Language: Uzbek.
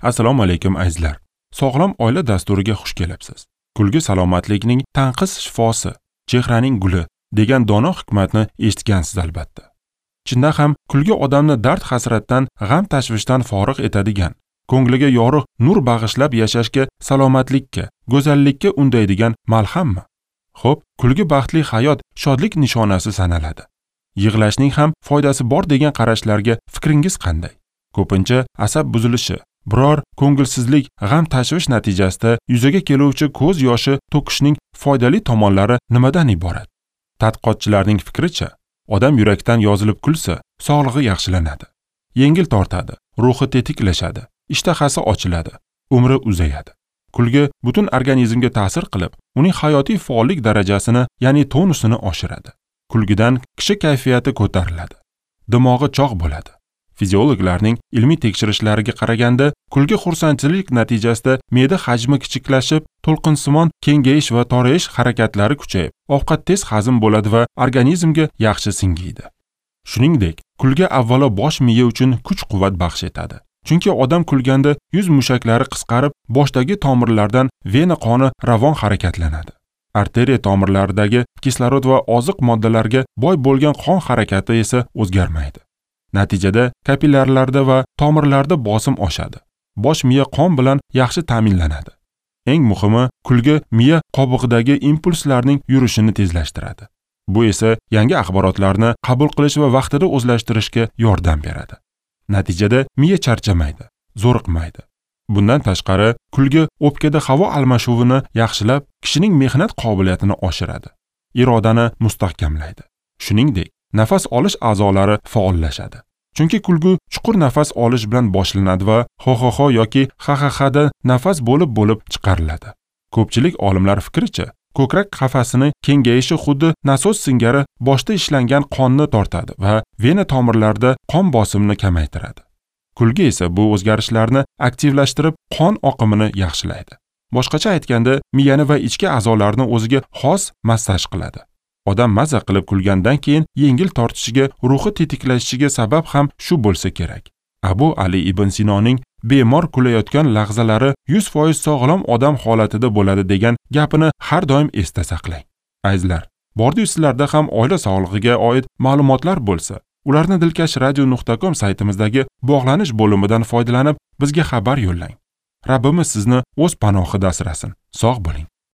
Assalomu alaykum azizlar. Sog'lom oila dasturiga xush kelibsiz. Kulgi salomatlikning tanqis shifosi, chehraning guli degan dono hikmatni eshitgansiz albatta. Chindan ham kulgi odamni dard hasratdan, g'am tashvishdan forig' etadigan, ko'ngliga yorug' nur bag'ishlab yashashga, salomatlikka, go'zallikka undaydigan malhammi? Xo'p, kulgi baxtli hayot, shodlik nishonasi sanaladi. Yig'lashning ham foydasi bor degan qarashlarga fikringiz qanday? Ko'pincha asab buzilishi, biror ko'ngilsizlik, g'am tashvish natijasida yuzaga keluvchi ko'z yoshi to'kishning foydali tomonlari nimadan iborat? Tadqiqotchilarning fikricha, odam yurakdan yozilib kulsa, sog'lig'i yaxshilanadi. Yengil tortadi, ruhi tetiklashadi, ishtahasi ochiladi, umri uzayadi. Kulgi butun organizmga ta'sir qilib, uning hayotiy faollik darajasini, ya'ni tonusini oshiradi. Kulgidan kishi kayfiyati ko'tariladi. Dimog'i chog' bo'ladi. Fiziologlarning ilmiy tekshirishlariga qaraganda, kulgi xursandchilik natijasida me'da hajmi kichiklashib, to'lqinsimon kengayish va torayish harakatlari kuchayib, ovqat tez hazm bo'ladi va organizmga yaxshi singiydi. Shuningdek, kulgi avvalo bosh miya uchun kuch-quvvat baxsh etadi. Chunki odam kulganda yuz mushaklari qisqarib, boshdagi tomirlardan vena qoni ravon harakatlanadi. Arteriya tomirlaridagi kislorod va oziq moddalarga boy bo'lgan qon harakati esa o'zgarmaydi. Natijada kapillarlarda va tomirlarda bosim oshadi. Bosh miya qon bilan yaxshi ta'minlanadi. Eng muhimi, kulgi miya qobig'idagi impulslarning yurishini tezlashtiradi. Bu esa yangi axborotlarni qabul qilish va vaqtida o'zlashtirishga yordam beradi. Natijada miya charchamaydi, zo'riqmaydi. Bundan tashqari, kulgi o'pkada havo almashuvini yaxshilab, kishining mehnat qobiliyatini oshiradi, irodani mustahkamlaydi. Shuningdek, nafas olish a'zolari faollashadi. Chunki kulgi chuqur nafas olish bilan boshlanadi va ho-ho-ho yoki ha-ha-hada nafas bo'lib-bo'lib chiqariladi. Ko'pchilik olimlar fikricha, ko'krak qafasini kengayishi xuddi nasos singari boshda ishlangan qonni tortadi va vena tomirlarida qon bosimini kamaytiradi. Kulgi esa bu o'zgarishlarni aktivlashtirib, qon oqimini yaxshilaydi. Boshqacha aytganda, miyani va ichki a'zolarni o'ziga xos massaj qiladi. Odam maza qilib kulgandan keyin yengil tortishiga, ruhi tetiklashishiga sabab ham shu bo'lsa kerak. Abu Ali ibn Sinoning bemor kulayotgan lahzalari 100% sog'lom odam holatida bo'ladi degan gapini har doim esda saqlang. Azizlar, bordi-yu sizlarda ham oila sog'lig'iga oid ma'lumotlar bo'lsa, ularni dilkashradio.com saytimizdagi bog'lanish bo'limidan foydalanib bizga xabar yo'llang. Rabbimiz sizni o'z panohida asrasin. Sog' bo'ling.